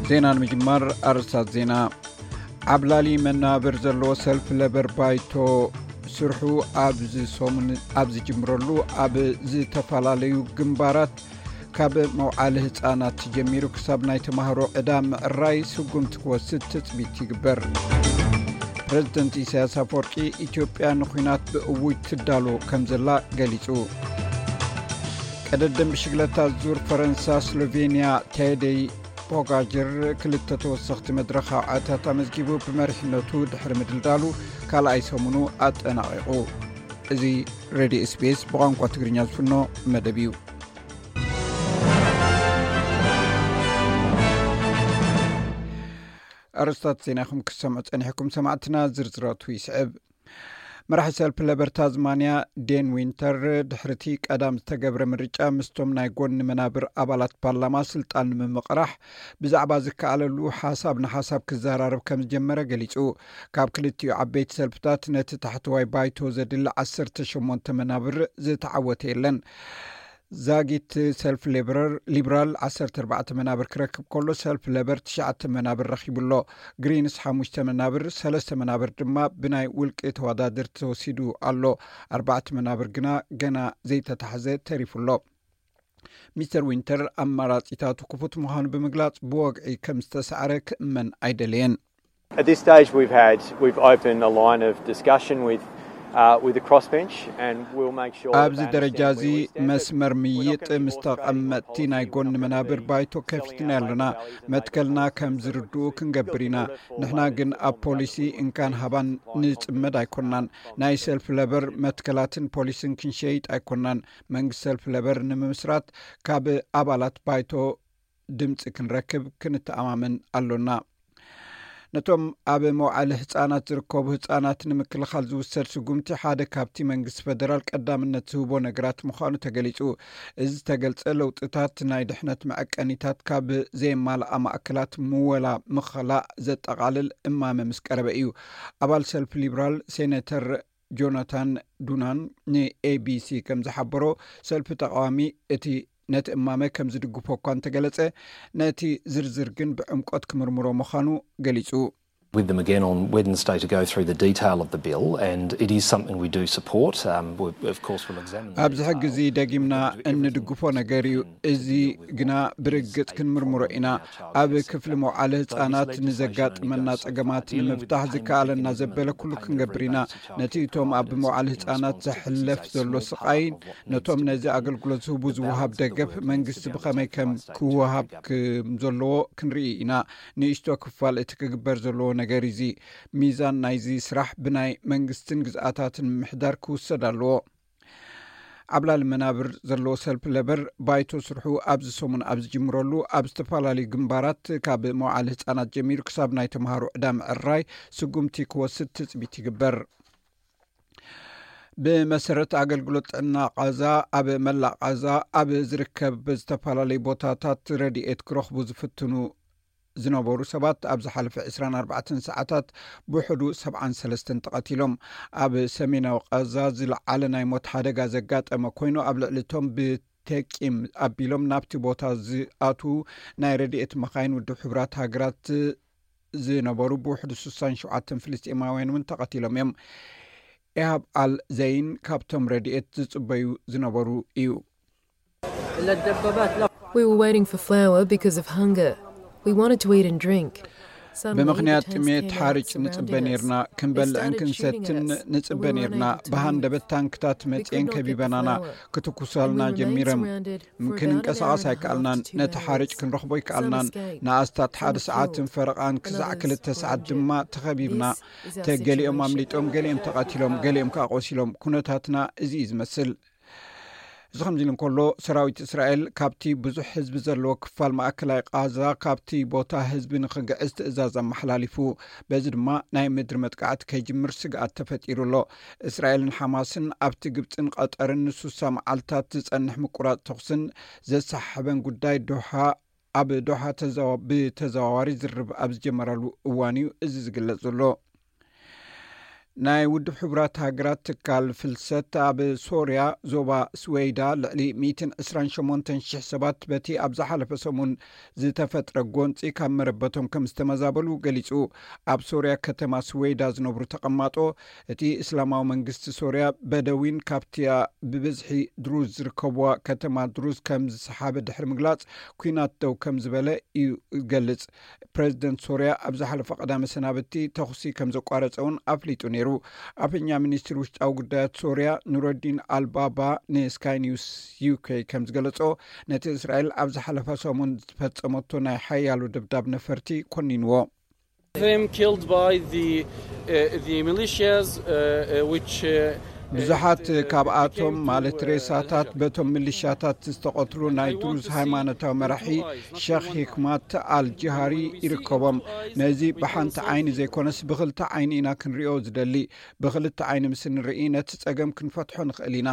ዜና ንምጅማር ኣርእስታት ዜና። ዓብላሊ መናብር ዘለዎ ሰልፍ ለበር ባይቶ ስርሑ ኣብዚ ሰሙን ኣብ ዝጅምረሉ፣ ኣብ ዝተፈላለዩ ግንባራት ካብ መውዓሊ ህፃናት ጀሚሩ ክሳብ ናይ ተማሃሮ ዕዳ ምዕራይ ስጉምቲ ክወስድ ትፅቢት ይግበር። ፕረዚደንት ኢሳያስ ኣፈወርቂ፣ ኢትዮጵያ ንኲናት ብእውጅ ትዳሎ ከም ዘላ ገሊጹ። ቀደደም ብሽግለታ ዙር ፈረንሳ ስሎቬንያ ቴደይ ፖጋጀር ክልተ ተወሰኽቲ መድረኻዊ ዓወታት ኣመዝጊቡ፣ ብመሪሕነቱ ድሕሪ ምድልዳሉ ካልኣይ ሰሙኑ ኣጠናቒቑ። እዚ ሬድዮ ኤስቢኤስ ብቋንቋ ትግርኛ ዝፍኖ መደብ እዩ። ኣርእስታት ዜና ኢኹም ክሰምዑ ጸኒሕኩም ሰማዕትና፣ ዝርዝራቱ ይስዕብ። መራሒ ሰልፊ ለበር ታዝማንያ ዴን ዊንተር፣ ድሕሪቲ ቀዳም ዝተገብረ ምርጫ ምስቶም ናይ ጎኒ መናብር ኣባላት ፓርላማ ስልጣን ንምምቕራሕ ብዛዕባ ዝከኣለሉ ሓሳብ ንሓሳብ ክዘራረብ ከም ዝጀመረ ገሊጹ። ካብ ክልቲኡ ዓበይቲ ሰልፍታት ነቲ ታሕተዋይ ባይቶ ዘድሊ ዓሰርተ ሸሞንተ መናብር ዝተዓወተ የለን። ዛጊት ሰልፍ ሌብራል ዓሰርተ ኣርባዕተ መናብር ክረክብ ከሎ፣ ሰልፍ ለበር ትሽዓተ መናብር ረኺቡ ኣሎ። ግሪንስ ሓሙሽተ መናብር፣ ሰለስተ መናብር ድማ ብናይ ውልቂ ተወዳደርቲ ተወሲዱ ኣሎ። ኣርባዕተ መናብር ግና ገና ዘይተታሕዘ ተሪፉ ኣሎ። ሚስተር ዊንተር ኣማራጺታቱ ክፉት ምዃኑ ብምግላጽ፣ ብወግዒ ከም ዝተሳዕረ ክእመን ኣይደለየን። At this stage, we've had, we've opened a line of discussion with, uh, with the crossbench, and we'll make sure that ኣብዚ that ደረጃ እዚ understands where we stand. መስመር ምይጥ ምስ ተቐመጥቲ ናይ ጎኒ መናብር ባይቶ ከፊትና ኣለና። መትከልና ከም ዝርድኡ ክንገብር ኢና። ንሕና ግን ኣብ ፖሊሲ እንካን ሃባን ንጽመድ ኣይኮናን። ናይ ሰልፍ ለበር መትከላትን ፖሊስን ክንሸይጥ ኣይኮናን። መንግስቲ ሰልፍ ለበር ንምምስራት ካብ ኣባላት ባይቶ ድምፂ ክንረክብ ክንተኣማመን ኣሎና። ነቶም ኣብ መውዓሊ ህፃናት ዝርከቡ ህፃናት ንምክልኻል ዝውሰድ ስጉምቲ ሓደ ካብቲ መንግስቲ ፈደራል ቀዳምነት ዝህቦ ነገራት ምዃኑ ተገሊፁ። እዚ ዝተገልፀ ለውጥታት ናይ ድሕነት መዐቀኒታት ካብ ዘየማልኣ ማእከላት ምወላ ምኸላእ ዘጠቓልል እማመ ምስ ቀረበ እዩ። ኣባል ሰልፊ ሊብራል ሴኔተር ጆናታን ዱናን ንኤቢሲ ከም ዝሓበሮ፣ ሰልፊ ተቃዋሚ እቲ ነቲ እማመ ከም ዝድግፎ እኳ እንተገለጸ፣ ነቲ ዝርዝር ግን ብዕምቆት ክምርምሮ ምዃኑ ገሊጹ። With them again on Wednesday to go through the detail of the bill, and it is something we do support. Um, we, of course, will examine the ኣብዚ ሕጊ እዚ ደጊምና እንድግፎ ነገር እዩ። እዚ ግና ብርግጽ ክንምርምሮ ኢና። ኣብ ክፍሊ መውዓሊ ህጻናት ንዘጋጥመና ጸገማት ንምፍታሕ ዝከኣለና ዘበለ ኩሉ ክንገብር ኢና። ነቲ እቶም ኣብ መውዓሊ ህጻናት ዘሕለፍ ዘሎ ስቓይን ነቶም ነዚ ኣገልግሎት ዝህቡ ዝወሃብ ደገፍ መንግስቲ ብኸመይ ከም ክወሃብ ከም ዘለዎ ክንርኢ ኢና። ንእሽቶ ክፋል እቲ ክግበር ዘለዎ ነገር እዚ። ሚዛን ናይዚ ስራሕ ብናይ መንግስትን ግዝኣታትን ምምሕዳር ክውሰድ ኣለዎ። ዓብላሊ መናብር ዘለዎ ሰልፊ ለበር ባይቶ ስርሑ ኣብዚ ሰሙን ኣብ ዝጅምረሉ፣ ኣብ ዝተፈላለዩ ግንባራት ካብ መውዓሊ ህጻናት ጀሚሩ ክሳብ ናይ ተምሃሮ ዕዳ ምዕራይ ስጉምቲ ክወስድ ትጽቢት ይግበር። ብመሰረት ኣገልግሎት ጥዕና ቃዛ፣ ኣብ መላእ ቃዛ ኣብ ዝርከብ ዝተፈላለዩ ቦታታት ረድኤት ክረኽቡ ዝፍትኑ ዝነበሩ ሰባት ኣብ ዝሓለፈ ዕስራን ኣርባዕተን ሰዓታት ብውሕዱ ሰብዓን ሰለስተን ተቐቲሎም። ኣብ ሰሜናዊ ቃዛ ዝለዓለ ናይ ሞት ሓደጋ ዘጋጠመ ኮይኑ፣ ኣብ ልዕሊ እቶም ብተቂም ኣቢሎም ናብቲ ቦታ ዝኣትዉ ናይ ረድኤት መኻይን ውድብ ሕቡራት ሃገራት ዝነበሩ ብውሕዱ ስሳን ሸውዓተን ፍልስጤማውያን እውን ተቐቲሎም እዮም። ኢሃብ ኣል ዘይን ካብቶም ረድኤት ዝጽበዩ ዝነበሩ እዩ። We were waiting for flour because of hunger. We wanted to eat and drink. Suddenly, the ብምኽንያት tanks ጥሜት came out, ሓርጭ surrounded ንጽበ us. ነርና። They ክንበልዕን started shooting at ክንሰትን us, and we ንጽበ were ነርና። unable to ብሃንደበት move. ታንክታት We could መጽኤን not get the ከቢበናና። flour. ክትኩሰልና And we were ጀሚሮም። surrounded for about an ክንንቀሳቐስ hour and a ኣይከኣልናን። half to two ነቲ ሓርጭ hours. ክንረኽቦ Some ኣይከኣልናን። escaped. ንኣስታት Some ሓደ were ሰዓትን killed. ፈረቓን ክሳዕ Others ክልተ were ሰዓት injured. ድማ ተኸቢብና። This is our ተገሊኦም situation. ኣምሊጦም፣ ገሊኦም ተቐቲሎም፣ ገሊኦም ከዓ ቆሲሎም። ኩነታትና እዚ እዩ ዝመስል። እዚ ከምዚ ኢሉ እንከሎ፣ ሰራዊት እስራኤል ካብቲ ብዙሕ ህዝቢ ዘለዎ ክፋል ማእከላይ ቃዛ ካብቲ ቦታ ህዝቢ ንኽግዕዝ ትእዛዝ ኣመሓላሊፉ። በዚ ድማ ናይ ምድሪ መጥቃዕቲ ከይጅምር ስግኣት ተፈጢሩ ኣሎ። እስራኤልን ሓማስን ኣብቲ ግብፅን ቀጠርን ንሱሳ መዓልታት ዝጸንሕ ምቁራፅ ተኹስን ዘሰሓሕበን ጉዳይ ዶሓ ኣብ ዶሓ ተዘዋ- ብተዘዋዋሪ ዝርርብ ኣብ ዝጀመረሉ እዋን እዩ እዚ ዝግለጽ ዘሎ። ናይ ውድብ ሕቡራት ሃገራት ትካል ፍልሰት ኣብ ሶርያ ዞባ ስወይዳ ልዕሊ ሚእትን ዕስራን ሸሞንተን ሽሕ ሰባት በቲ ኣብ ዝሓለፈ ሰሙን ዝተፈጥረ ጎንፂ ካብ መረበቶም ከም ዝተመዛበሉ ገሊፁ። ኣብ ሶርያ ከተማ ስወይዳ ዝነብሩ ተቐማጦ እቲ እስላማዊ መንግስቲ ሶርያ በደዊን ካብቲያ ብብዝሒ ድሩዝ ዝርከብዋ ከተማ ድሩዝ ከም ዝሰሓበ ድሕሪ ምግላፅ፣ ኩናት ደው ከም ዝበለ እዩ ዝገልፅ። ፕረዚደንት ሶርያ ኣብ ዝሓለፈ ቀዳመ ሰናብቲ ተኹሲ ከም ዘቋረፀ እውን ኣፍሊጡ ነይሩ። ኣፈኛ ሚኒስትሪ ውሽጣዊ ጉዳያት ሶርያ ኑረዲን ኣልባባ ንስካይ ኒውስ ዩኬ ከም ዝገለጾ፣ ነቲ እስራኤል ኣብ ዝሓለፈ ሰሙን ዝፈጸመቶ ናይ ሓያሎ ደብዳብ ነፈርቲ ኮኒንዎ። Them killed by the, uh, the militias, uh, uh, which, uh, ብዙሓት ካብኣቶም ማለት ሬሳታት በቶም ምልሻታት ዝተቐትሉ ናይ ድሩዝ ሃይማኖታዊ መራሒ ሸኽ ሂክማት ኣልጅሃሪ ይርከቦም። ነዚ ብሓንቲ ዓይኒ ዘይኮነስ ብኽልተ ዓይኒ ኢና ክንሪኦ ዝደሊ። ብኽልተ ዓይኒ ምስ ንርኢ ነቲ ጸገም ክንፈትሖ ንኽእል ኢና።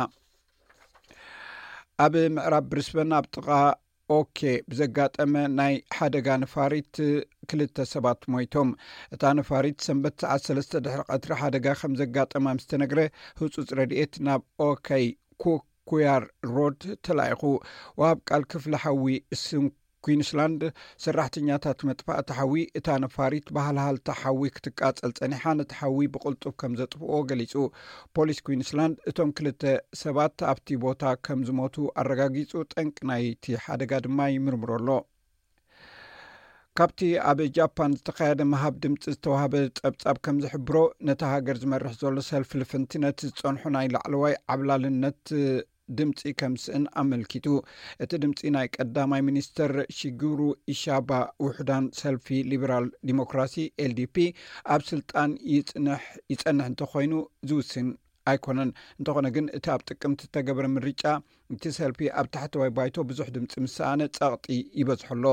ኣብ ምዕራብ ብሪስበን ኣብ ጥቓ ኦኬ ብዘጋጠመ ናይ ሓደጋ ነፋሪት ክልተ ሰባት ሞይቶም። እታ ነፋሪት ሰንበት ሰዓት ሰለስተ ድሕሪ ቀትሪ ሓደጋ ከም ዘጋጠማ ምስ ተነግረ፣ ህጹጽ ረድኤት ናብ ኦኬ ኩያር ሮድ ተላኢኹ። ወሃብ ቃል ክፍሊ ሓዊ ስን ኩንስላንድ ሰራሕተኛታት መጥፋእቲ ሓዊ፣ እታ ነፋሪት ባህልሃልታ ሓዊ ክትቃጸል ጸኒሓ፣ ነቲ ሓዊ ብቕልጡፍ ከም ዘጥፍኦ ገሊጹ። ፖሊስ ኩንስላንድ እቶም ክልተ ሰባት ኣብቲ ቦታ ከም ዝሞቱ ኣረጋጊጹ፣ ጠንቂ ናይቲ ሓደጋ ድማ ይምርምሮ ኣሎ። ካብቲ ኣብ ጃፓን ዝተኻየደ ምሃብ ድምፂ ዝተዋህበ ጸብጻብ ከም ዝሕብሮ፣ ነታ ሃገር ዝመርሕ ዘሎ ሰልፊ ልፍንቲ ነቲ ዝጸንሖ ናይ ላዕለዋይ ዓብላልነት ድምፂ ከም ዝስእን ኣመልኪቱ። እቲ ድምፂ ናይ ቀዳማይ ሚኒስተር ሺጉሩ ኢሻባ ውሑዳን ሰልፊ ሊበራል ዲሞክራሲ ኤልዲፒ ኣብ ስልጣን ይጽንሕ ይጸንሕ እንተኾይኑ ዝውስን ኣይኮነን። እንተኾነ ግን እቲ ኣብ ጥቅምቲ ዝተገበረ ምርጫ እቲ ሰልፊ ኣብ ታሕተዋይ ባይቶ ብዙሕ ድምፂ ምስ ሰኣነ ጸቕጢ ይበዝሖ ኣሎ።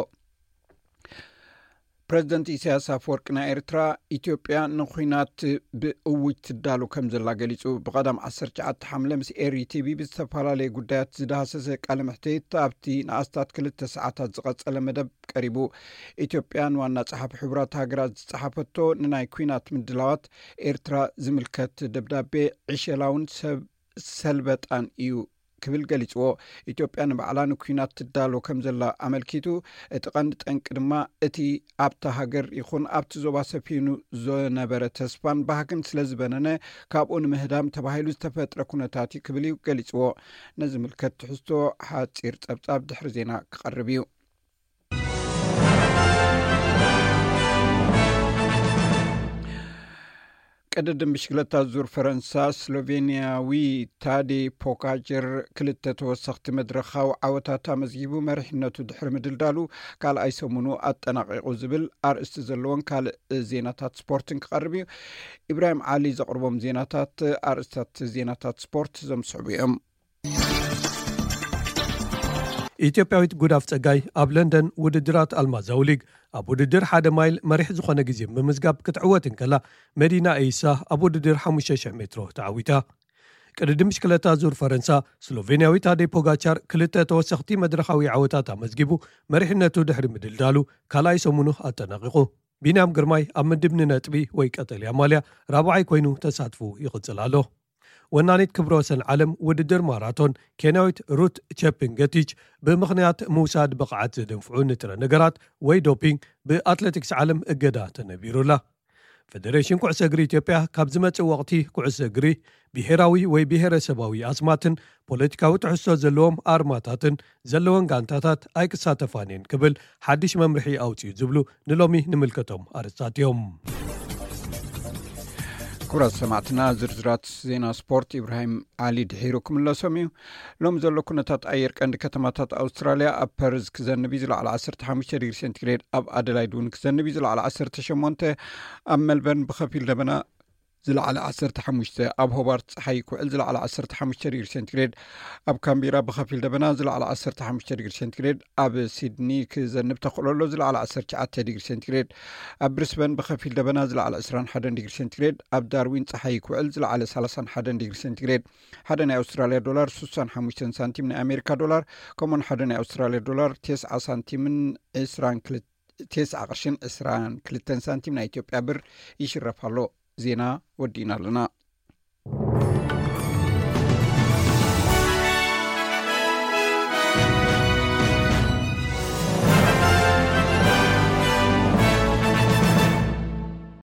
ፕረዚደንት ኢሳያስ ኣፈወርቂ ናይ ኤርትራ፣ ኢትዮጵያ ንኹናት ብእውጅ ትዳሎ ከም ዘላ ገሊጹ። ብቐዳም ዓሰርተ ትሽዓተ ሓምለ ምስ ኤሪ ቲቪ ብዝተፈላለየ ጉዳያት ዝዳህሰሰ ቃለ መሕትት ኣብቲ ንኣስታት ክልተ ሰዓታት ዝቐጸለ መደብ ቀሪቡ። ኢትዮጵያ ንዋና ጸሓፊ ሕቡራት ሃገራት ዝጸሓፈቶ ንናይ ኲናት ምድላዋት ኤርትራ ዝምልከት ደብዳቤ ዕሸላውን ሰብ ሰልበጣን እዩ ክብል ገሊጽዎ። ኢትዮጵያ ንባዕላ ንኲናት ትዳሎ ከም ዘላ ኣመልኪቱ፣ እቲ ቀንዲ ጠንቂ ድማ እቲ ኣብታ ሃገር ይኹን ኣብቲ ዞባ ሰፊኑ ዝነበረ ተስፋን ባህግን ስለ ዝበነነ፣ ካብኡ ንምህዳም ተባሂሉ ዝተፈጥረ ኩነታት እዩ ክብል እዩ ገሊጽዎ። ነዚ ምልከት ትሕዝቶ ሓጺር ጸብጻብ ድሕሪ ዜና ክቐርብ እዩ። ቅድድም ብሽክለታ ዙር ፈረንሳ፣ ስሎቬንያዊ ታዴ ፖጋጀር ክልተ ተወሰኽቲ መድረኻዊ ዓወታት ኣመዝጊቡ መሪሕነቱ ድሕሪ ምድልዳሉ ካልኣይ ሰሙኑ ኣጠናቒቑ ዝብል ኣርእስቲ ዘለዎን ካልእ ዜናታት ስፖርትን ክቐርብ እዩ። ኢብራሂም ዓሊ ዘቕርቦም ዜናታት፣ ኣርእስታት ዜናታት ስፖርት ዘምስዕቡ እዮም። ኢትዮጵያዊት ጉዳፍ ጸጋይ ኣብ ለንደን ውድድራት ኣልማዛዊ ሊግ ኣብ ውድድር ሓደ ማይል መሪሕ ዝኾነ ግዜ ብምዝጋብ ክትዕወት እንከላ፣ መዲና ኤይሳ ኣብ ውድድር ሓሙሽተ ሽሕ ሜትሮ ተዓዊታ። ቅድድም ብሽክለታ ዙር ፈረንሳ፣ ስሎቬንያዊ ታዴ ፖጋቻር ክልተ ተወሰኽቲ መድረኻዊ ዓወታት ኣመዝጊቡ መሪሕነቱ ድሕሪ ምድልዳሉ ካልኣይ ሰሙኑ ኣጠናቒቑ። ቢንያም ግርማይ ኣብ ምድብ ንነጥቢ ወይ ቀጠልያ ማልያ ራብዓይ ኮይኑ ተሳትፉ ይቕጽል ኣሎ። ወናኒት ክብረ ወሰን ዓለም ውድድር ማራቶን ኬንያዊት ሩት ቸፕንገቲች ብምኽንያት ምውሳድ ብቕዓት ዘደንፍዑ ንጥረ ነገራት ወይ ዶፒንግ ብኣትሌቲክስ ዓለም እገዳ ተነቢሩላ። ፌደሬሽን ኩዕሶ እግሪ ኢትዮጵያ ካብ ዝመጽእ ወቕቲ ኩዕሶ እግሪ ብሄራዊ ወይ ብሄረሰባዊ ኣስማትን ፖለቲካዊ ትሕዝቶ ዘለዎም ኣርማታትን ዘለወን ጋንታታት ኣይክሳተፋን እየን ክብል ሓድሽ መምርሒ ኣውፅኡ ዝብሉ ንሎሚ ንምልከቶም ኣርእስታት እዮም። ክቡራት ሰማዕትና፣ ዝርዝራት ዜና ስፖርት ኢብራሂም ዓሊ ድሒሩ ክምለሶም እዩ። ሎም ዘሎ ኩነታት ኣየር ቀንዲ ከተማታት ኣውስትራልያ፣ ኣብ ፐርዝ ክዘንብ እዩ ዝለዓለ ዓሰርተ ሓሙሽተ ዲግሪ ሴንቲግሬድ፣ ኣብ ኣደላይድ እውን ክዘንብ እዩ ዝለዓለ ዓሰርተ ሸሞንተ፣ ኣብ ሜልበርን ብኸፊል ደበና ዝለዓለ ዓሰርተ ሓሙሽተ፣ ኣብ ሆባርት ጸሓይ ክውዕል ዝለዓለ ዓሰርተ ሓሙሽተ ዲግሪ ሴንቲግሬድ፣ ኣብ ካምቢራ ብኸፊል ደበና ዝለዓለ ዓሰርተ ሓሙሽተ ዲግሪ ሴንቲግሬድ፣ ኣብ ሲድኒ ክዘንብ ተኽእሎ ኣሎ ዝለዓለ ዓሰርተ ትሽዓተ ዲግሪ ሴንቲግሬድ፣ ኣብ ብሪስበን ብኸፊል ደበና ዝለዓለ ዕስራን ሓደን ዲግሪ ሴንቲግሬድ፣ ኣብ ዳርዊን ጸሓይ ክውዕል ዝለዓለ ሰላሳን ሓደን ዲግሪ ሴንቲግሬድ። ሓደ ናይ ኣውስትራልያ ዶላር ስሳን ሓሙሽተን ሳንቲም ናይ ኣሜሪካ ዶላር፣ ከምኡን ሓደ ናይ ኣውስትራልያ ዶላር ተስዓ ሳንቲምን ዕስራን ክልተ፣ ተስዓ ቅርሽን ዕስራን ክልተን ሳንቲም ናይ ኢትዮጵያ ብር ይሽረፍ ኣሎ። ዜና ወዲእና ኣለና።